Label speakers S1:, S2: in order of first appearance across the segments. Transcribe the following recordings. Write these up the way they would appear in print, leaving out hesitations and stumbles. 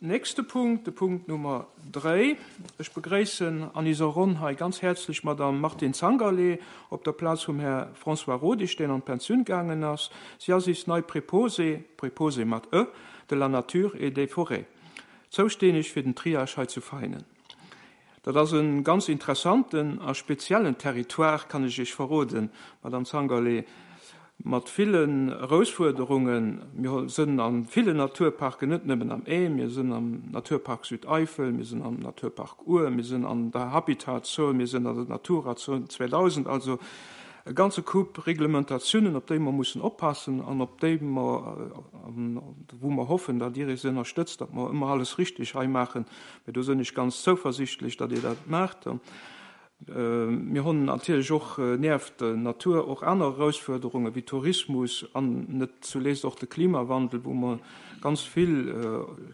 S1: nächste Punkt, de Punkt Nummer 3. Ech begréissen an iser Ronn hei ganz häerzlech d'Madame Martine Zangerlé op der Plaz vum Här François Rodig, deen an d'Pensioun gaangen ass. Si ass is nei Préposée, Préposée mat e, de la nature et des forêts, zoustänneg fir den Triage hei zu Veinen. Dat ass e ganz interessanten a speziellen Territoire, kann ech Iech verroden, Madame Zangerlé, mat villen Erousfuerderungen. Mir sënn a villen Naturparken, net nëmmen am Ae, mir sënn am Naturpark Südeifel, mir sënn am Naturpark Our, mir sënn an der Habitatzon, mir sënn an der Naturazon 2000, also e ganze Koup Reglementatiounen, op déi mer mussen oppassen an op déi mer, wou mer hoffen, datt Dir eis ënnerstëtzt, datt mer ëmmer alles richtig hei maachen. Mee do sënn ech ganz zouversichtlech, datt Dir dat maacht. Mir honn natierlech och nieft der Natur och aner Erausfuerderunge wéi Tourismus an net zuleest och de Klimawandel, wou mer ganz vill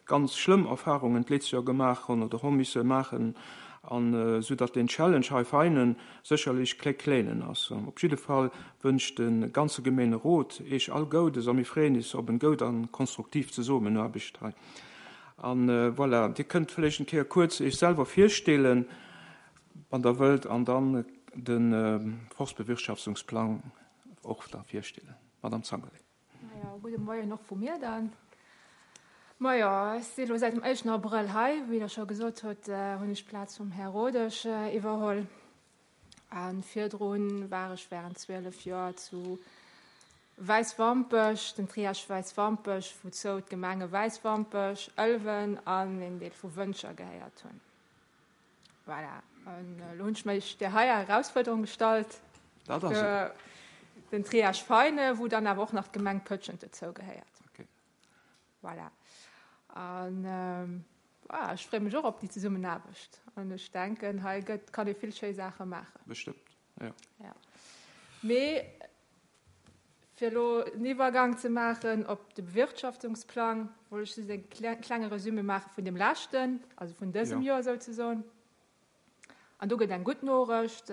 S1: ganz schlëmm Erfahrungen d'letzte Joer gemaach honn oder ho misse maachen, an esou datt deen Challenge hei feinen sécherlech kléck kléinen ass. Op jidde Fall wënscht de ganze Gemeenerot Eech all Goudes a mir freeën is op en goud an konstruktiv Zesummenaarbecht hei. An voilà, Dir kënnt vläicht eng Kéier kuerz Iech selwer virstellen, wann Der wëllt, an dann de Forstbewirtschaftungsplang och da virstellen. Madame Zangerlé.
S2: Majo, gudde Moien och vu mir dann. Majo, ech si elo säit dem éischten Abrëll hei. Wéi Der scho gesot hutt, hunn ech d'Plaz vum Här Rodesch iwwerholl. A virdrun war ech während 12 Joer zu Wäiswampech, den Triage Wäiswampech, wouzou d'Gemenge Wäiswampech, Ëlwen an een Deel vu Wëntger gehéiert hunn. Voilà, an elo hunn ech mech där heier Erausfuerderung gestallt,
S1: Dat ass et.
S2: den Triage Veine, wou dann awer och nach d'Gemeng Pëtschent dozou gehéiert.
S1: Okay.
S2: Voilà. An voilà, ech freeë mech och op déi Zesummenaarbecht. An ech denken, hei gëtt, kann ee vill schéi Saache maachen.
S1: Bestëmmt, jo.
S2: Ja. Mee fir elo en Iwwergang ze maachen op de Bewirtschaftungsplang, wollt ech just e klenge Resumé maache vun deem leschten, also vun dësem Joer souzesoen. An do gëtt eng gutt Norecht,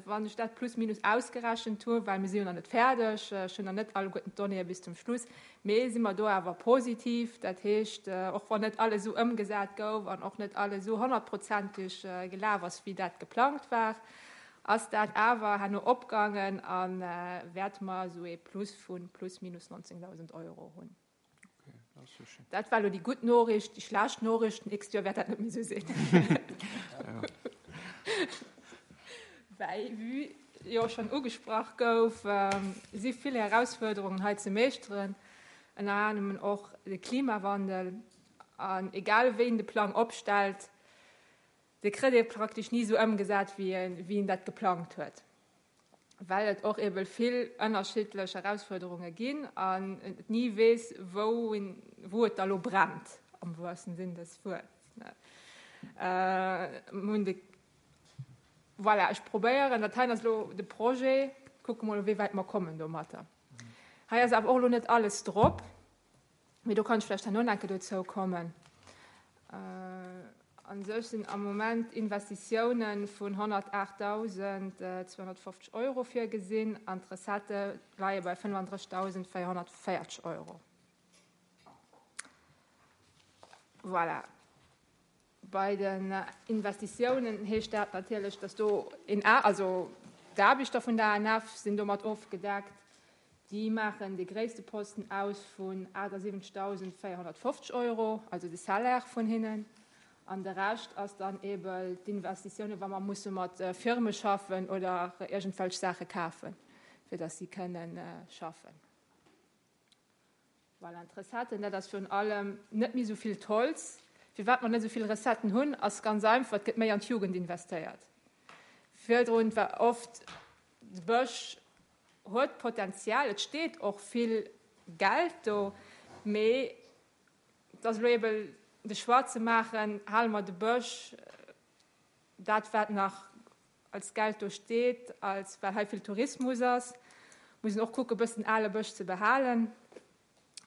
S2: wann ech dat plus minus ausgerechent hu, well mir si jo nach net fäerdeg, ech hunn nach net alleguerten d'Donnéeë bis zum Schluss, mee si mer do awer positiv. Dat heescht, och wann net alles esou ëmgesat gouf an och net alles esou honnertprozenteg gelaf ass, wéi dat geplangt war, ass dat awer herno opgaangen a wäerte mer esou ee Plus vu plus minus 19.000 Euro hunn. Dat war elo déi gutt Noriicht. Déi schlecht Noriicht, d'nächst Joer wäert dat net méi esou sinn. Well, wéi jo schonn ugesprach gouf, si vill Erausfuerderungen hei ze meeschteren, ënner anerem och de Klimawandel. An egal wéi een de Plang opstellt, dee kritt ee praktesch ni esou ëmgesat, wéi een dat geplangt huet. Well et och ebe vill ënnerschiddlech Erausfuerderunge ginn an et ni weess, wou wou et da lo brennt, am wahrsten Sinn des Wuerts. Mir hunn de, voilà, ech probéieren, dat heien ass elo de Projet, kucke mol, wéi wäit mer kommen domatter. Hei ass awer och elo net alles drop. Mee do kann ech vläicht herno nach eng Kéier dozou kommen. A sech sinn am Moment Investitiounen vun 108.250 Euro virgesinn an d'Recettë leie bei 35.440 Euro. Voilà. Bei den Investitiounen heescht dat natierlech, dass do een, also d'Aarbechter vun der ANF sinn domat ofgedeckt. Déi maachen de gréisste Posten aus vun 78.450 Euro, also de Salaire vun hinnen. An de Rescht ass dann eebe d'Investitiounen, wa mer musse mat Firme schaffen oder iergendwelch Saache kafen, fir dass si kënnen schaffen. Voilà, an d'Recetten, dat ass virun allem net méi esou vill d'Holz. Firwat mer net esou vill Recetten hunn, ass ganz einfach, et gëtt méi an d'Jugend investéiert. Virdrun war oft, de Bësch huet Potenzial, et steet och vill Geld do, mee et ass elo eebe de Choix ze maachen, hale mer de Bësch, dat wat nach als Geld do steet, als well hei vill Tourismus ass, muss een och kucken, e bëssen ale Bësch ze behalen.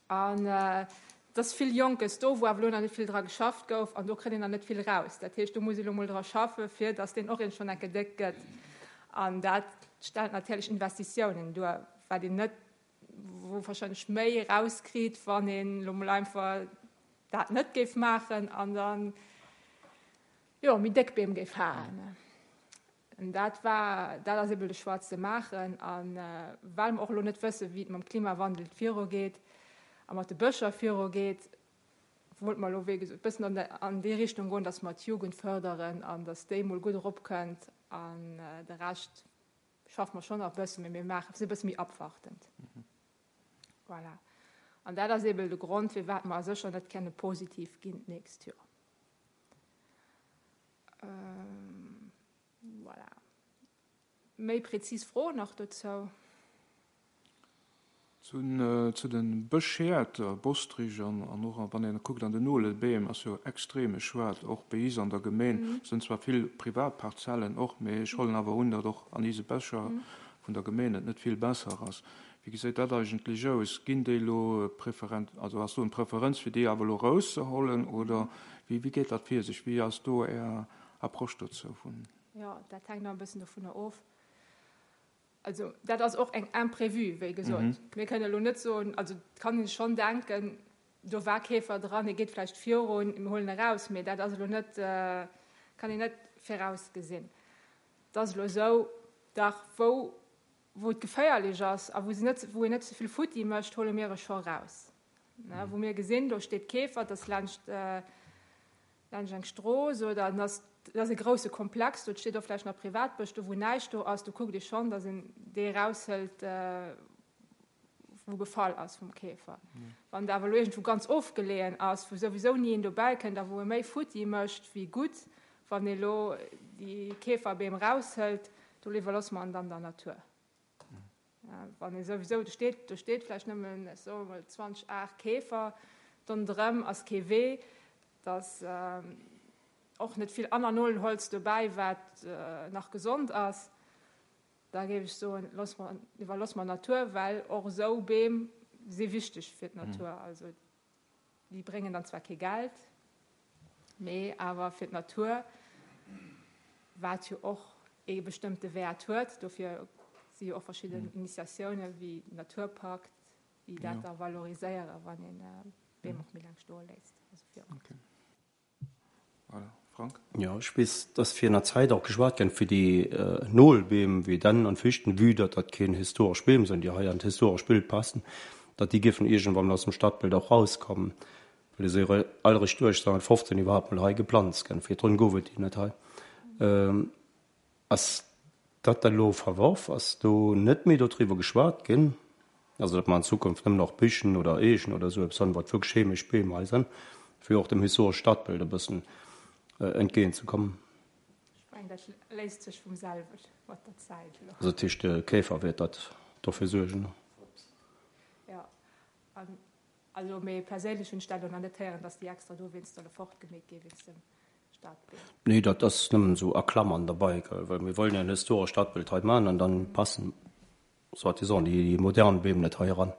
S2: An et ass vill Jonkes do, wou awer elo nach net vill dra geschafft gouf, an do kritt een nach net vill raus. Dat heescht, do muss ee lo mol dra schaffen, fir datt deen och iergendwann enke déck gëtt. An dat stellt natierlech Investitiounen duer, wat een net, wou warscheinlech méi rauskritt, wann een elo mol einfach. dat net géif maachen an dann, jo, méi déck Beem géif haen. An dat war, dat ass ebe de Choix ze maachen. A well mer och elo net wëssen, wéi et mam Klimawandel virugeet a mat de Bëscher virugeet, wollte mer elo, wéi gesot, e bëssen an déi Richtung goen, dass mer d'Jugend fërderen an dass déi mol gutt eropkënnt. An de Rescht schaffe mer schonn nach e bëssen, mee mir maachen, sinn e bësse méi abwartend. Voilà. An dat ass eeben de Grond, firwat mer sécher net kenne positiv ginn d'nächst Joer. Voilà. Méi prezis Froen nach dozou?
S1: Zu de Bëschhäert, Bostrich an och wann een kuckt an den Nolebeem ass jo extreme Schwaart, och béi is an der Gemeen sënn zwar vill privat Parzellen och, mee ech hollen awer un, datt och an ise Bëscher vun der Gemeen et net vill besser ass. Wéi geséit dat eigentlech aus? Ginn déi elo preferent, also ass do eng Preferenz fir déi awer elo erauszehollen oder wéi wéi geet dat vir sech? Wéi ass do Är Approche dozou vun?
S2: Jo, dat hänkt nach e bëssen dovunner of. Also dat ass och eng Imprévue, wéi gesot. Mir kënnen elo net soen, also et kann ee schonn denken, do war Käfer dran, e geet vläicht virun, mir huelen e raus, mee dat ass elo net, kann een net virausgesinn. Et ass elo esou, dach wou wou et geféierlech ass a wou se net, wou een net ze vill futti mécht, huele mir e scho raus. Wou mir gesinn, do steet Käfer, et ass laanscht Laanscht eng Strooss oder en ass, et ass e grousse Komplex, do steet och vläicht nach Privatbësch, do wou näischt do ass, do kuckt ee schonn, datt een dee eraushëlt, wou befall ass vum Käfer. Wann et awer elo iergendwou ganz ofgeleeën ass, wou souwisou ni een dobäi kënnt a wou e méi futti mécht wéi gutt, wann ee elo déi Käferbeem eraushëlt, do iwwerloosse mer en dann der Natur. Wann ee souwisou, do steet, do steet vläicht nëmmen, ech soe mol 20 Ar Käfer, dondrëm ass kee Wee, et ass och net vill aner Nolenholz dobäi, wat nach gesond ass, da géif ech soen, loosse mer, iwwerloosse mer d'Natur, well och esou Beem si wichteg fir d'Natur. Also Déi bréngen dann zwar kee Geld, mee awer fir d'Natur, wat jo och ee bestëmmte Wäert huet. Dofir si jo och verschidden Initiatioune wéi den Naturpakt, déi dat da valoriséieren, wann een Beem och méi laang stoe léisst. Also fir och.
S1: Voilà. Frank?
S3: Jo, ech weess, dass fir enger Zäit och geschwat gëtt fir déi Nolbeem, wéi Dänn an Fichten, vue datt dat keen historesch Beem sinn, déi hei an d'historesch Bild passen, datt déi géifen iergendwann aus dem Stadbild och rauskommen, well déi si jo all eréischt 1815 iwwerhaapt mol hei geplanzt ginn. Virdrun gouf et déi net hei. Ass dat da lo verworf? Ass do net méi dodriwwer geschwat ginn? Also datt mer an Zukunft nëmmen och Bichen oder Eechen oder esou eppes hunn, wat wierklech heemesch Beem hei sinn, fir och dem historesche Stadbild e bëssen entgéint ze kommen.
S2: Ech mengen, dat léist sech vum selwecht mat der Zäit
S3: elo. Also dat heescht, de Käfer wäert dat dofir suergen?
S2: Jo, an also mee perséinlech hunn ech dat elo nach net héieren, datt déi extra dowéinst solle fortgemeet gi wéinst dem Stadbild.
S3: Nee, dat ass nëmmen esou a Klammern derbei, well mir wollen jo en historescht Stadbild hei maachen an dann passen soi-disant déi modern Beem net hei eran.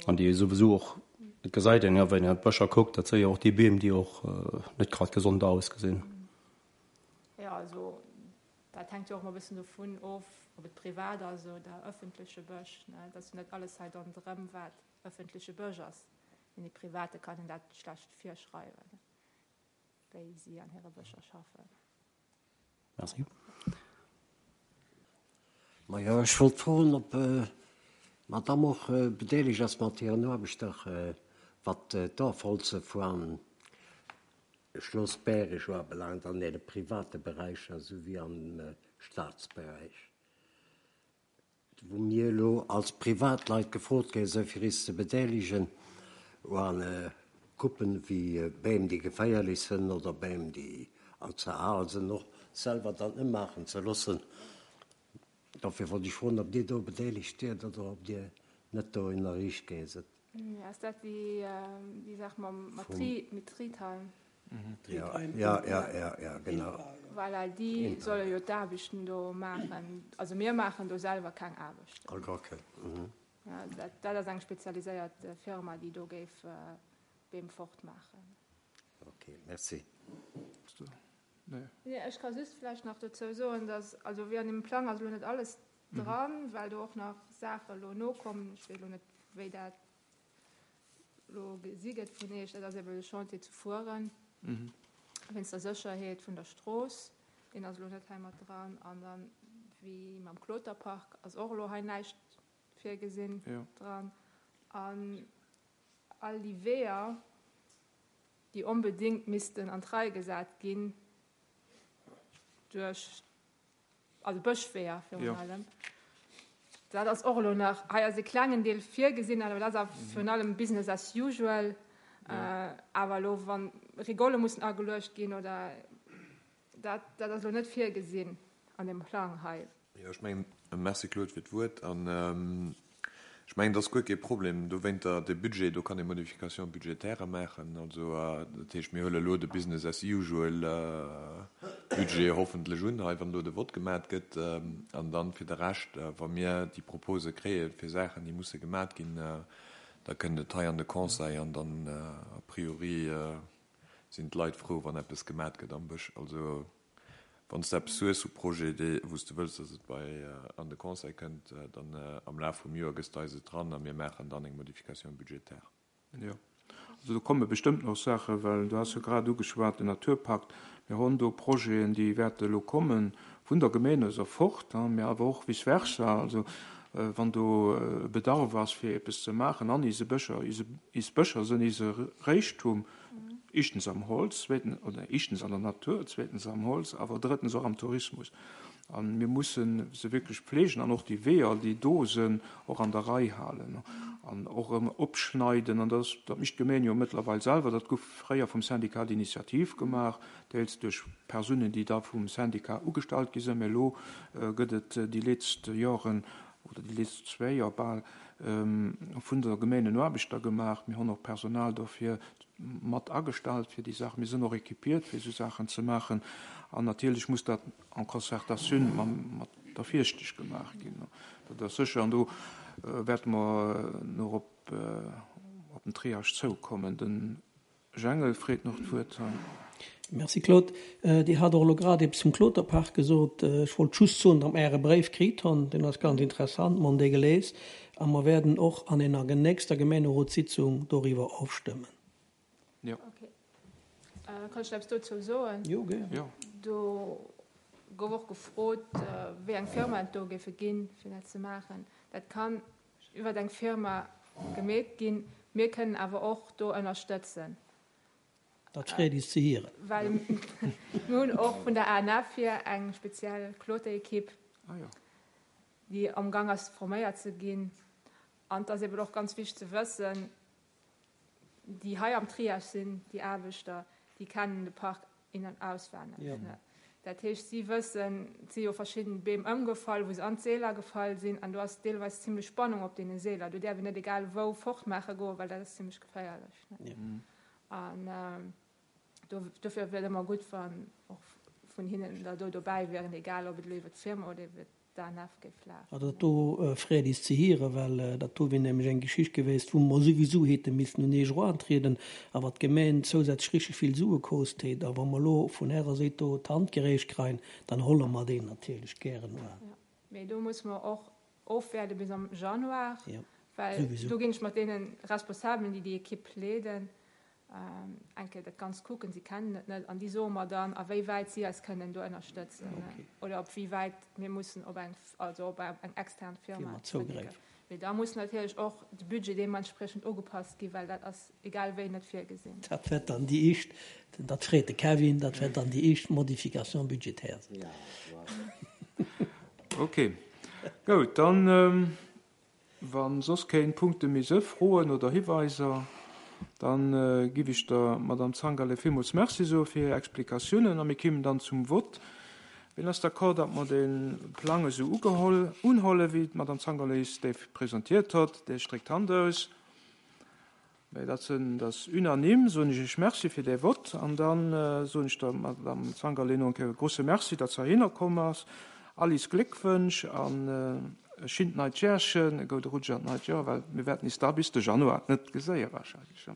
S3: An déi souwisou och, et gesäit een jo, wann een an d'Bëscher kuckt, dat si jo och déi Beem, déi och net grad gesond ausgesinn.
S2: Jo, also dat hänkt jo och ëmmer e bëssen dovun of, ob et privat ass oder ëffentleche Bësch. Et ass jo net alles hei ronderëm, wat ëffentleche Bësch ass. Deene Private kann een dat schlecht virschreiwen, wéi si an hire Bëscher schaffen.
S3: Merci.
S4: Majo, ech wollt froen, ob d'Madame och bedeelegt ass mat hiren Aarbechter, wat d'Ofholze vu Schloss Bäreg ubelaangt, an deene private Beräicher souwéi am Staatsberäich. wou mir elo als Privatleit gefrot gi sinn, fir is ze bedeelegen u Coupen wéi Beem, déi geféierlech sinn oder Beem, déi all ze al sinn, och selwer dann ëmmaachen ze loossen. Dofir wollt ech froen, ob Dir do bedeelegt wiert oder ob Dir net do ënnerriicht gi sidd.
S2: Ass dat déi Saach mam Tritheim?
S4: Ja, ja, ja, ja, genau.
S2: Voilà, déi solle jo d'Aarbechten do maachen. Also mir maachen do selwer keng Aarbechten.
S4: Ah, okay. Mhm.
S2: Ja, dat, dat ass eng spezialiséiert Firma, déi do géif Beem fortmaachen.
S4: Okay, merci.
S2: Nee, ech ka just vläicht nach dozou soen, dass, also wéi an deem Plang ass elo net alles dran, well do och nach Saache elo nokommen. Ech weess elo net, wéi dat. elo gesi gëtt vun Iech, dat ass eben de Chantier zu Furen wéinst der Sécherheet vun der Strooss. Deen ass elo net hei mat dran. An dann, wéi mam Kloterpark, ass och elo hei näischt virgesinn dran. An all déi Weeër, déi onbedéngt missten an d'Rei gesat ginn duerch, also Bëschweeër virun allem, dat ass och elo nach, hei ass e klengen Deel virgesinn, awer dat ass virun allem Business as usual. Awer elo, wa Rigolle mussen ageluecht ginn oder dat, dat ass elo net virgesinn an deem Plang hei.
S5: Jo, ech mengen, merci Claude fir d'Wuert. An ech mengen, et ass guer kee Problem dowéinter, de Budget, do kann ee Modifications budgétaires maachen. Also dat heescht, mir huele elo de Business as usual Budget hoffentlech un hei, wann elo de Vott gemat gëtt. An dann fir de Rescht, wa mir déi Propose kréie fir Saachen, déi musse gemat ginn, da kënnt et hei an de Conseil an dann a priori sinn d'Leit frou, wann eppes gemat gëtt am Bësch. Also Wann s de eppes hues vu Projet, dee, wou s de wëlls, dass et bei an de Conseil kënnt, dann am Laf vum Joer gëss de eis et dran a mir maachen dann eng Modification budgétaire.
S1: Jo, also do komme bestëmmt nach Saachen, well du has jo grad ugeschwat den Naturpakt. Mir honn do Projeten, déi wäerte elo kommen, vun der Gemeen aus erfort, mä awer och vice versa. Also wann do e Bedarf ass, fir eppes ze maachen an ise Bëscher, is Bëscher sënn ise Räichtum, Éischtens am Holz, zweetens, oder éischtens an der Natur, zweetens am Holz, awer drëttens och am Tourismus. A mir musse se wierklech pflegen an och déi Weeër, déi do sinn, och an der Rei halen an och erëm opschneiden. An dat, dat mécht d'Gemeng jo mëttlerweil selwer. Dat gouf fréier vum Syndicat d'initiative gemaach, deels duerch Persounen, déi da vum Syndicat ugestallt gi sinn. Mä elo gëtt et déi letzt Joren oder déi letzt zwéi Joer bal, vun der Gemeen en Aarbechter gemaach. Mir hunn och Personal dofir mat agestallt fir déi Saachen. Mir sinn och équipiert fir esou Saachen ze maachen. An natierlech muss dat en concertatioun mat der Fieschtesch gemaach ginn. Dat ass sécher. An do wäerte mer nach op den Triage zoukommen. Den Jangel freet nach d'Wuert hei.
S6: Merci Claude. Dir hat och elo grad eppes vum Kloterpark gesot. Ech wollt just soen, datt mer Äre Bréif kritt hunn. Deen ass ganz interessant. Mer hunn dee gelies a mer werden och an enger nächster Gemeenerotssitzung doriwwer ofstëmmen.
S2: Jo. Okay. Kann ech nach eppes dozou soen?
S6: Jo, gär.
S1: Jo.
S2: Do gouf och gefrot, wéi eng Firma et do géife ginn, fir dat ze maachen. Dat kann iwwert eng Firma gemeet ginn. Mir kënnen awer och do ënnerstëtzen.
S6: Dat freet is ze hieren.
S2: Well mir hunn och vun der ANF hier eng speziell Kloterekipp, déi am Gang ass forméiert ze ginn. An et ass eben och ganz wichteg ze wëssen, déi hei am Triage sinn, déi Aarbechter, déi kennen de Park in an auswenneg. Dat heescht, si wëssen, et si jo verschidden Beem ëmgefall, wou se an d'Seeler gefall sinn, an do ass deelweis zimlech Spannung op deene Seeler. Do däerf een net egal wou fortmaache goen, well dat ass zimlech geféierlech. An dofir wier et ëmmer gutt, wann och vun hinnen der do dobäi wieren, egal ob et elo iwwer d'Firma oder iwwer d'ANF géif lafen.
S6: Also dat do freet is ze hieren, well dat do wier nämlech eng Geschicht geweest, wou mer souwisou hätte missen un Eech erantrieden a wat d'Gemeen zousätzlech richteg vill Sue koost hätt. A wa mer elo vun Ärer Séit do d'Hand gereecht kreien, dann holle mer deen natierlech gären
S2: un. Jo, mee do musse mer och ofwäerde bis am Januar, well do ginn ech mat deene Responsabelen, déi déi Ekipp leeden, eng Kéier dat Ganzt kucken. Si kennen et net an déi soe mer dann, a wéi wäit si eis kënnen do ënnerstëtzen oder op wéi wäit mir mussen op eng, also op eng extern Firma zréckgräifen. Mee da muss natierlech och de Budget deementspriechend ugepasst ginn, well dat ass egal wéi net virgesinn.
S6: Dat wäert dann déi éischt, dat freet de Kevin, dat wäert dann déi éischt Modification budgétaire sinn.
S1: Okay, goud, dann Wa soss kéng Punkte méi se, Froen oder Hiweiser, dann giff ech der Madame Zangale villmools Merci soe fir hir Explikatiounen a mir kimmen dann zum Vott. Wien ass d'accord, datt mer de Plang esou ugeholl, unholle wéi d'Madame Zangale is dee presentiert hott? Dee stréckt d'Hand aus. Mä dat sinn, dat ass unanime, soen ech Iech Merci fir dee Vott. An da soen ech der Madame Zangerlé nach eng Kéier e grouse Merci, datt se heihinner komm ass. All is Gléckwënsch an e schinnt neit Järchen, e goude Rutsch an d'neit Joer, well mir wäerten is da bis de Januar net geséie wahrscheinlech.